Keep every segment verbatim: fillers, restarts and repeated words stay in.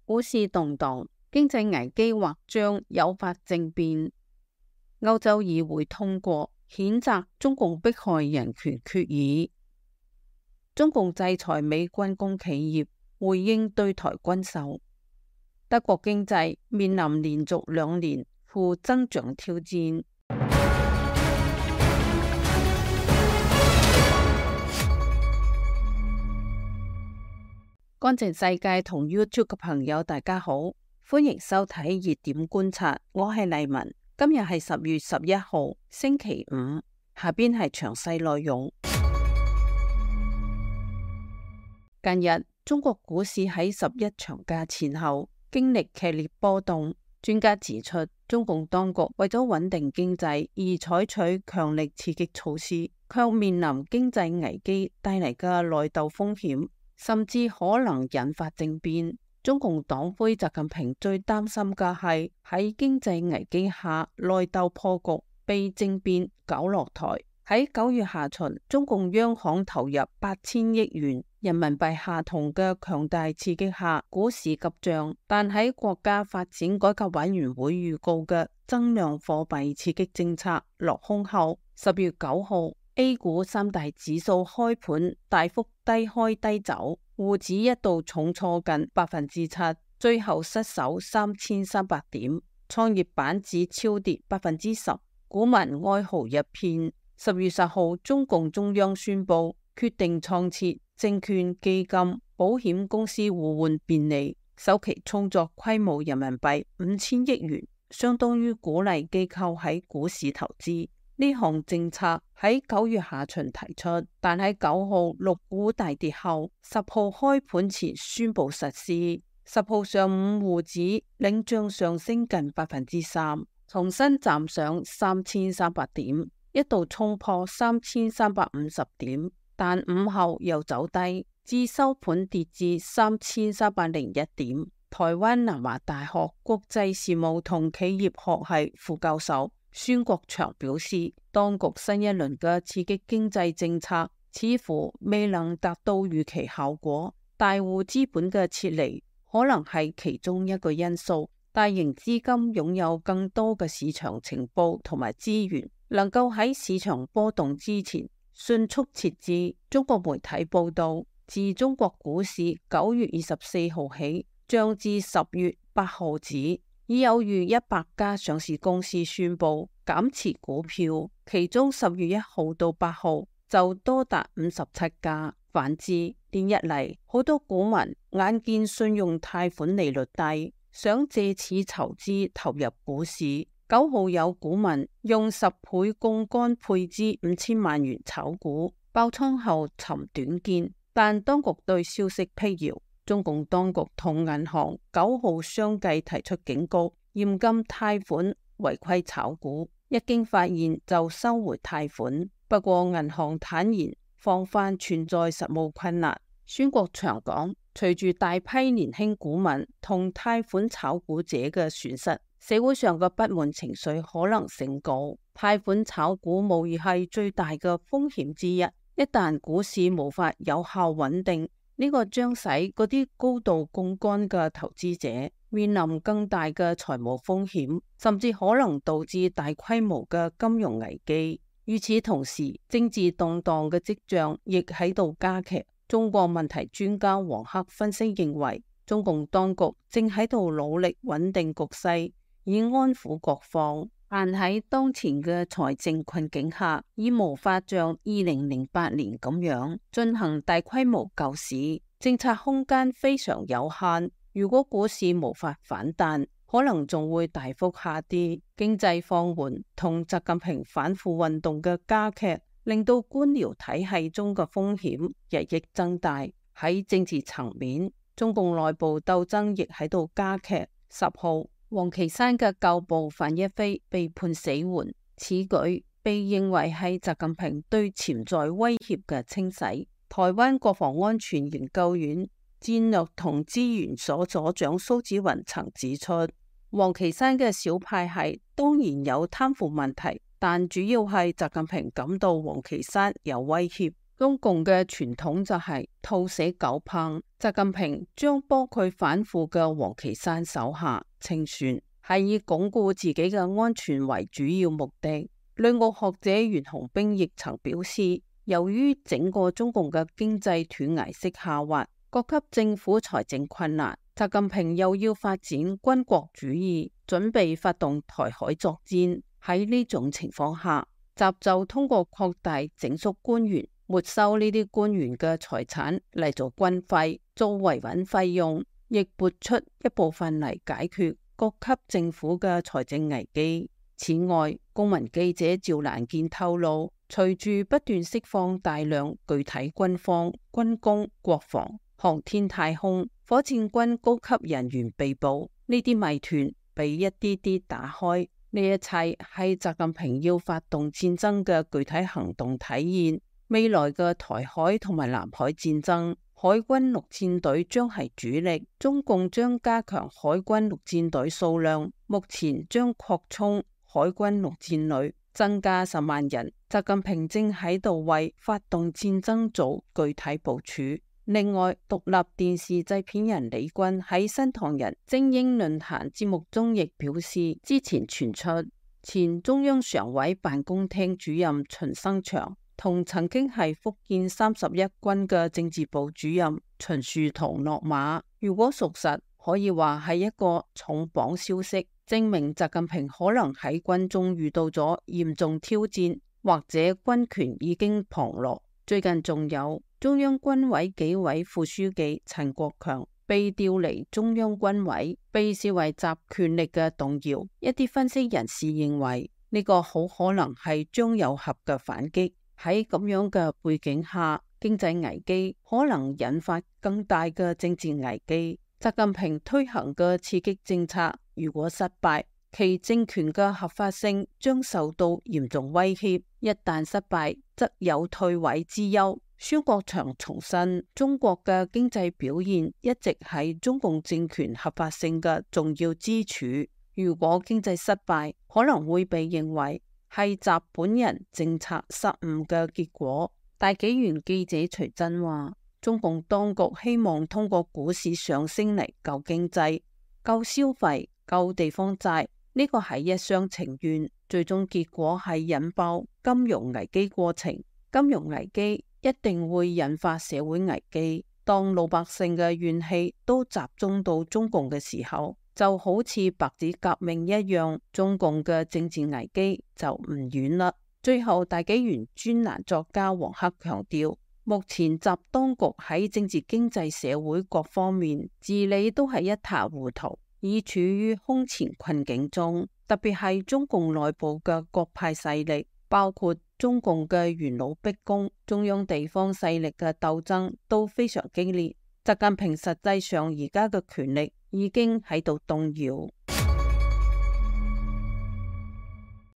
股市動盪，經濟危機或將誘發政變。歐洲議會通過譴責中共迫害人權決議。中共制裁美軍工企業，回應對台軍售。德國經濟面臨連續兩年負增長挑戰。乾淨世界同 YouTube 嘅朋友大家好，歡迎收睇熱點觀察，我係麗文。今日係十月十一號星期五，下邊係詳細內容。近日中國股市喺十一長假前後經歷劇烈波動，專家指出，中共當局為咗穩定經濟而採取強力刺激措施，卻面臨經濟危機帶嚟嘅內鬥風險，甚至可能引發政變。中共黨魁習近平最擔心嘅係喺經濟危機下內鬥破局，被政變搞落台。喺九月下旬，中共央行投入八千億元人民幣下同嘅強大刺激下，股市急漲。但喺國家發展改革委員會預告嘅增量貨幣刺激政策落空後，十月九號 A 股三大指數開盤大幅低開低走，滬指一度重挫近百分之七，最後失守三千三百點，創業板指超跌百分之十，股民哀嚎一片。十月十號，中共中央宣布決定創設證券、基金、保險公司互換便利，首期操作規模人民幣五千億元，相當於鼓勵機構喺股市投資。呢項政策喺九月下旬提出，但喺九號陸股大跌後，十號開盤前宣布實施。十號上午滬指領漲上升近百分之三，重新站上三千三百點，一度衝破三千三百五十點，但午後又走低，至收盤跌至三千三百零一點。台灣南華大學國際事務同企業學系副教授孫國祥表示，當局新一輪嘅刺激經濟政策似乎未能達到預期效果，大戶資本嘅撤離可能係其中一個因素。大型資金擁有更多嘅市場情報同埋資源，能夠喺市場波動之前迅速撤資。中國媒體報道，自中國股市九月二十四號起漲至十月八號止，已有逾一百家上市公司宣布減持股票，其中十月一號到八號就多達五十七家。反之，連日嚟好多股民眼見信用貸款利率低，想借此籌資投入股市。九號有股民用十倍槓桿配資五千萬元炒股，爆倉後尋短見，但當局對消息闢謠。中共當局同銀行九號相繼提出警告，嚴禁貸款違規炒股，一經發現就收回貸款。不過銀行坦言防範存在實務困難。孫國祥講，隨住大批年輕股民同貸款炒股者嘅損失，社會上嘅不滿情緒可能升高。貸款炒股無疑係最大嘅風險之一，一旦股市無法有效穩定，呢個將使嗰啲高度槓桿嘅投資者面臨更大嘅財務風險，甚至可能導致大規模嘅金融危機。與此同時，政治動盪嘅跡象亦喺度加劇。中國問題專家王克分析認為，中共當局正喺度努力穩定局勢，以安撫各方，但喺當前嘅財政困境下，已無法像二零零八年咁樣進行大規模救市，政策空間非常有限。如果股市無法反彈，可能仲會大幅下跌。經濟放緩同習近平反腐運動嘅加劇，令到官僚體系中嘅風險日益增大。喺政治層面，中共內部鬥爭亦喺度加劇。十號，王岐山嘅舊部范一飛被判死緩，此舉被認為係習近平對潛在威脅嘅清洗。台灣國防安全研究院戰略同資源所所長蘇紫雲曾指出，王岐山嘅小派系當然有貪腐問題，但主要係習近平感到王岐山有威脅。中共嘅傳統就係兔死狗烹，習近平將幫佢反腐嘅王岐山手下清算，係以鞏固自己嘅安全為主要目的。旅澳學者袁洪兵亦曾表示，由於整個中共嘅經濟斷崖式下滑，各級政府財政困難，習近平又要發展軍國主義，準備發動台海作戰。喺呢種情況下，習就通過擴大整肅官員，沒收呢啲官員嘅財產嚟做軍費、做維穩費用，亦撥出一部分嚟解決各級政府嘅財政危機。此外，公民記者趙蘭健透露，隨住不斷釋放大量具體軍方、軍工、國防、航天太空、火箭軍高級人員被捕，呢啲謎團被一啲啲打開。呢一切係習近平要發動戰爭嘅具體行動體現。未來嘅台海同埋南海戰爭，海軍陸戰隊將係主力，中共將加強海軍陸戰隊數量，目前將擴充海軍陸戰旅，增加十萬人。習近平正喺度為發動戰爭做具體部署。另外，獨立電視製片人李軍喺新唐人精英論壇節目中亦表示，之前傳出前中央常委辦公廳主任秦生祥同曾經係福建三十一軍嘅政治部主任秦樹桐落馬。如果屬實，可以話係一個重磅消息，證明習近平可能喺軍中遇到咗嚴重挑戰，或者軍權已經旁落。最近仲有中央軍委紀委副書記陳國強被調離中央軍委，被視為集權力嘅動搖。一啲分析人士認為呢個好可能係張又俠嘅反擊。喺咁樣嘅背景下，經濟危機可能引發更大嘅政治危機。習近平推行嘅刺激政策如果失敗，其政權嘅合法性將受到嚴重威脅。一旦失敗，則有退位之憂。孫國祥重申，中國嘅經濟表現一直係中共政權合法性嘅重要支柱。如果經濟失敗，可能會被認為係習本人政策失誤嘅結果。大紀元記者徐真話，中共當局希望通過股市上升嚟救經濟、救消費、救地方債，呢個係一廂情願，最終結果係引爆金融危機過程。金融危機一定會引發社會危機。當老百姓嘅怨氣都集中到中共嘅時候，就好似白紙革命一樣，中共嘅政治危機就唔遠啦。最後，大紀元專欄作家黃克強調，目前習當局喺政治、經濟、社會各方面治理都係一塌糊塗，已處於空前困境中。特別係中共內部嘅各派勢力，包括中共嘅元老逼宮、中央地方勢力嘅鬥爭都非常激烈。習近平實際上而家嘅權力已經喺度動搖。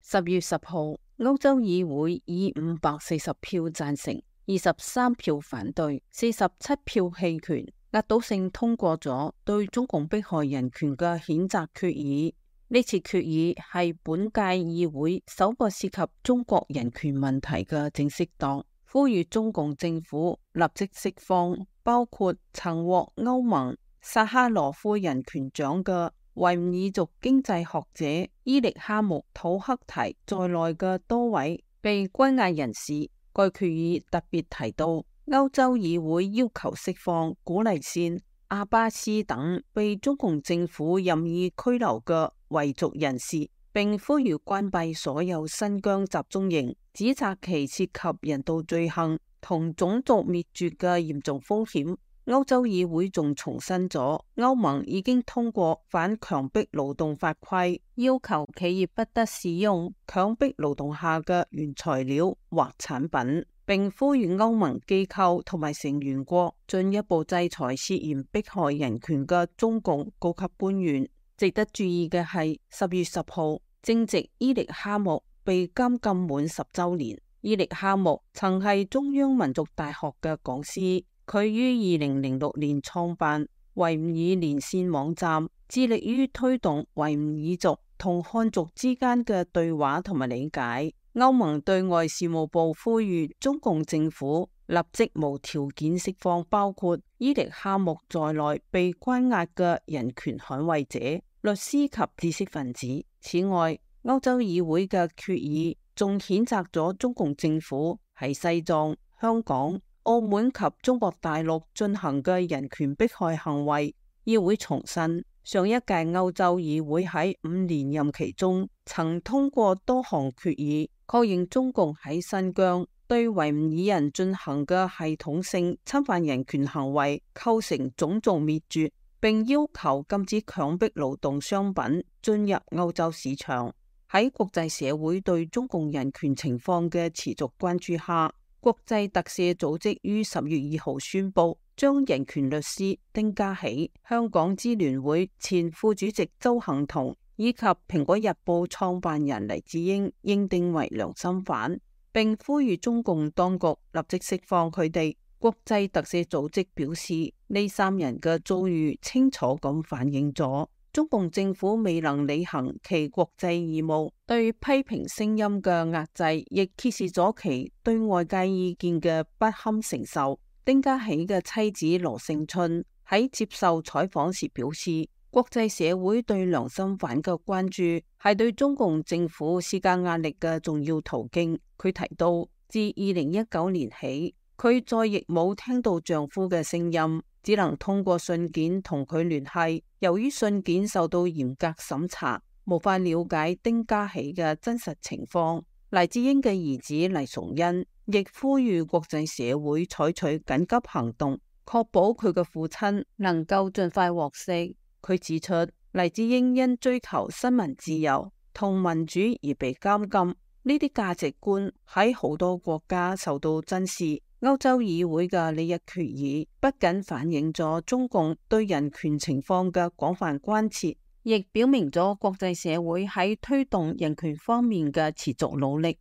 十月十號，歐洲議會以五百四十票贊成、二十三票反對、四十七票棄權，壓倒性通過咗對中共迫害人權嘅譴責決議。呢次決議係本屆議會首個涉及中國人權問題嘅正式檔，呼籲中共政府立即釋放包括曾獲歐盟薩哈羅夫人權獎嘅維吾爾族經濟學者伊力哈木土克提在內嘅多位被關押人士。該決議特別提到，歐洲議會要求釋放古麗善、阿巴斯等被中共政府任意拘留嘅維族人士，並呼籲關閉所有新疆集中營，指責其涉及人道罪行同種族滅絕嘅嚴重風險。歐洲議會仲重申咗歐盟已經通過反強迫勞動法規，要求企業不得使用強迫勞動下嘅原材料或產品，並呼籲歐盟機構同埋成員國進一步制裁涉嫌迫害人權嘅中共高級官員。值得注意嘅係，十月十號正值伊力哈木被監禁滿十週年。伊力哈木曾係中央民族大學嘅講師，佢於二零零六年創辦維吾爾連線網站，致力於推動維吾爾族同漢族之間嘅對話同埋理解。歐盟對外事務部呼籲中共政府立即無條件釋放包括伊力哈木在內被關押嘅人權捍衛者、律師及知識分子。此外，歐洲議會嘅決議仲譴責咗中共政府喺西藏、香港、澳門及中國大陸進行嘅人權迫害行為。議會重申，上一屆歐洲議會喺五年任期中曾通過多項決議，確認中共喺新疆對維吾爾人進行嘅系統性侵犯人權行為構成種族滅絕，並要求禁止強迫勞動商品進入歐洲市場。喺國際社會對中共人權情況嘅持續關注下，國際特赦組織於十月二號宣布，將人權律師丁家喜、香港支聯會前副主席鄒幸彤以及蘋果日報創辦人黎智英認定為良心犯，並呼籲中共當局立即釋放佢哋。國際特赦組織表示，呢三人嘅遭遇清楚咁反映咗中共政府未能履行其國際義務，對批評聲音嘅壓制，亦揭示咗其對外界意見嘅不堪承受。丁家喜嘅妻子羅勝春喺接受採訪時表示，國際社會對良心犯嘅關注係對中共政府施加壓力嘅重要途徑。佢提到，自二零一九年起，佢再亦冇聽到丈夫嘅聲音，只能通過信件同佢聯繫。由於信件受到嚴格審查，無法了解丁家喜嘅真實情況。黎智英嘅兒子黎崇恩亦呼籲國際社會採取緊急行動，確保佢嘅父親能夠盡快獲釋。佢指出，黎智英因追求新聞自由同民主而被監禁，呢啲價值觀喺好多國家受到珍視。歐洲議會嘅呢一決議不僅反映咗中共對人權情況嘅廣泛關切，亦表明咗國際社會喺推動人權方面嘅持續努力。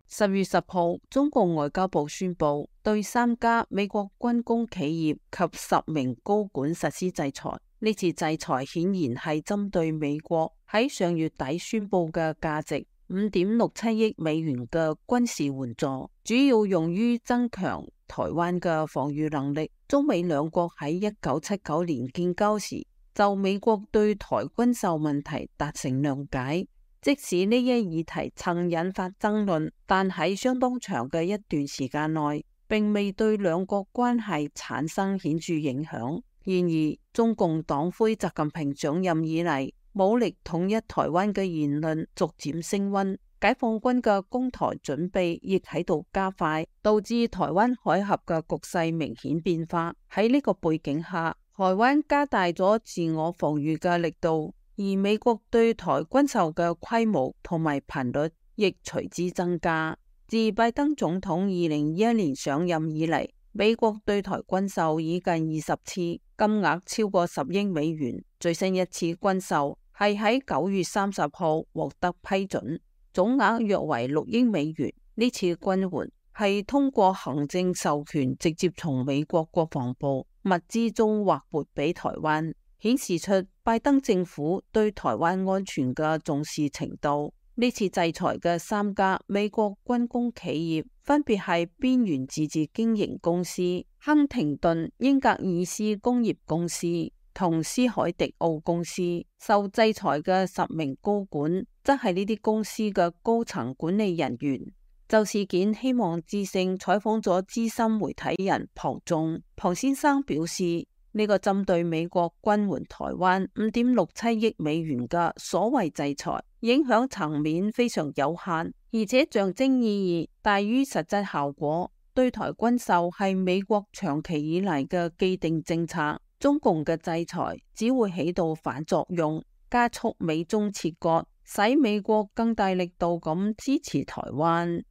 十月十號，中共外交部宣布對三家美國軍工企業及十名高管實施制裁。呢次制裁顯然係針對美國喺上月底宣布嘅價值五點六七億美元嘅軍事援助，主要用於增強台灣嘅防禦能力。中美兩國喺一九七九年建交時，就美國對台軍售問題達成諒解。即使呢一議題曾引發爭論，但喺相當長嘅一段時間內，並未對兩國關係產生顯著影響。然而，中共黨魁習近平上任以嚟，武力統一台灣嘅言論逐漸升溫，解放軍嘅攻台準備亦喺度加快，導致台灣海峽嘅局勢明顯變化。喺呢個背景下，台灣加大咗自我防禦嘅力度，而美國對台軍售嘅規模同埋頻率亦隨之增加。自拜登總統二零二一年上任以嚟，美國對台軍售已近二十次，金額超過十億美元。最新一次軍售係喺九月三十號獲得批准，總額約為六億美元。呢次軍援係通過行政授權直接從美國國防部物資中劃撥俾台灣，顯示出拜登政府對台灣安全嘅重視程度。呢次制裁嘅三家美國軍工企業分別係邊緣自治經營公司、亨廷頓英格爾斯工業公司同斯海迪奧公司。受制裁嘅十名高管則係呢啲公司嘅高層管理人員。就事件，希望之聲採訪咗資深媒體人龐仲，龐先生表示，呢個針對美國軍援台灣五點六七億美元嘅所謂制裁，影響層面非常有限，而且象徵意義大於實質效果。對台軍售係美國長期以嚟嘅既定政策，中共嘅制裁只會起到反作用，加速美中切割，使美國更大力度咁支持台灣。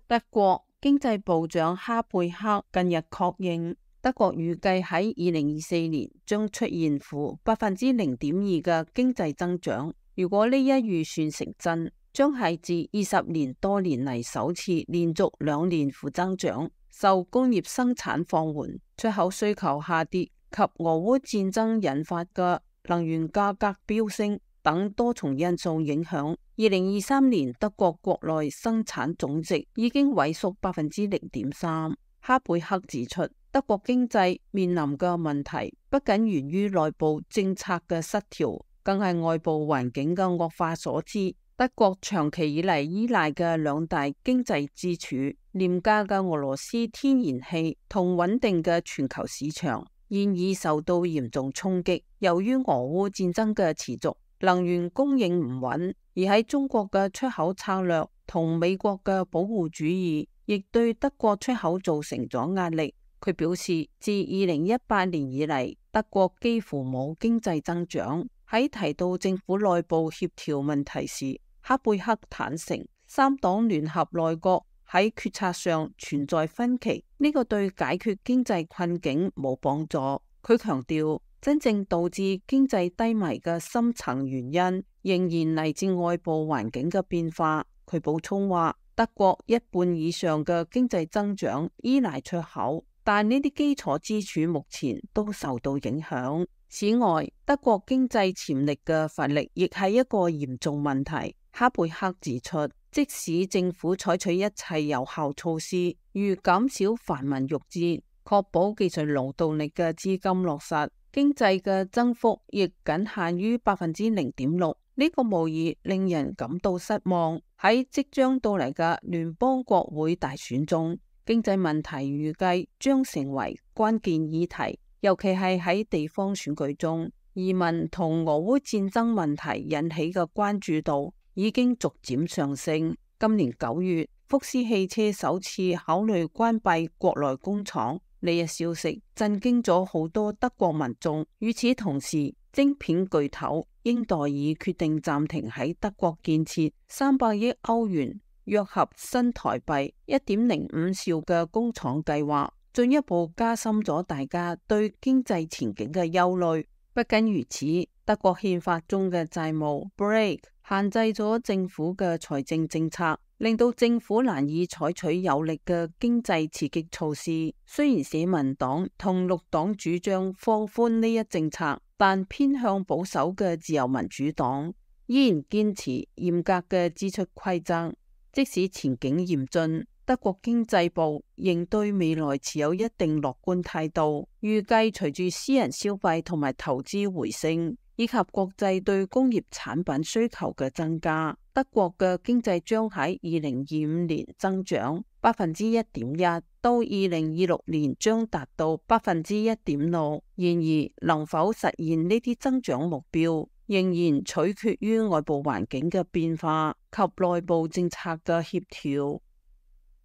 德國經濟部長哈貝克近日確認，德國預計喺二零二四年將出現負百分之零點二嘅經濟增長。如果呢一預算成真，將係自二十年多年嚟首次連續兩年負增長。受工業生產放緩、出口需求下跌及俄烏戰爭引發嘅能源價格飆升，等多重因素影響，二零二三年德國國內生產總值已經萎縮百分之零點三。哈貝克指出，德國經濟面臨嘅問題不僅源於內部政策嘅失調，更係外部環境嘅惡化所致。德國長期以嚟依賴嘅兩大經濟支柱，廉價嘅俄羅斯天然氣同穩定嘅全球市場，現已受到嚴重衝擊。由於俄烏戰爭嘅持續，能源供應唔穩，而喺中國嘅出口策略同美國嘅保護主義，亦對德國出口造成咗壓力。佢表示，自二零一八年以嚟，德國幾乎冇經濟增長。喺提到政府內部協調問題時，哈貝克坦承三黨聯合內閣喺決策上存在分歧，呢、這個對解決經濟困境冇幫助。佢強調，真正導致經濟低迷嘅深層原因仍然嚟自外部環境嘅變化。佢補充話，德國一半以上嘅經濟增長依賴出口，但呢啲基礎支柱目前都受到影響。此外，德國經濟潛力嘅乏力亦係一個嚴重問題。哈貝克指出，即使政府採取一切有效措施，如減少繁文縟節，確保技術勞動力嘅資金落實，經濟嘅增幅亦僅限於百分之零點六。呢個無疑令人感到失望。喺即將到嚟嘅聯邦國會大選中，經濟問題預計將成為關鍵議題，尤其係喺地方選舉中，移民同俄烏戰爭問題引起嘅關注度已經逐漸上升。今年九月，福斯汽車首次考慮關閉國內工廠，呢一消息震驚咗好多德國民眾。與此同時，晶片巨頭英特爾決定暫停喺德國建設三百億歐元，約合新台幣一點零五兆嘅工廠計劃，進一步加深咗大家對經濟前景嘅憂慮。不僅如此，德國憲法中嘅債務 break 限制咗政府嘅財政政策，令到政府難以採取有力嘅經濟刺激措施。雖然社民黨同綠黨主張放寬呢一政策，但偏向保守嘅自由民主黨依然堅持嚴格嘅支出規則。即使前景嚴峻，德國經濟部仍對未來持有一定樂觀態度，預計隨住私人消費同埋投資回升，以及國際對工業產品需求嘅增加，德國嘅經濟將喺二零二五年增長百分之一點一，到二零二六年將達到百分之一點六。然而，能否實現呢啲增長目標，仍然取決於外部環境嘅變化及內部政策嘅協調。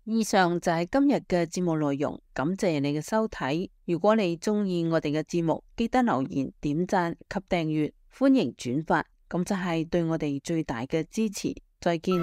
以上就係今日嘅節目內容，感謝你嘅收睇。如果你鍾意我哋嘅節目，記得留言、點讚及訂閱，歡迎轉發，咁就係對我哋最大嘅支持。再見。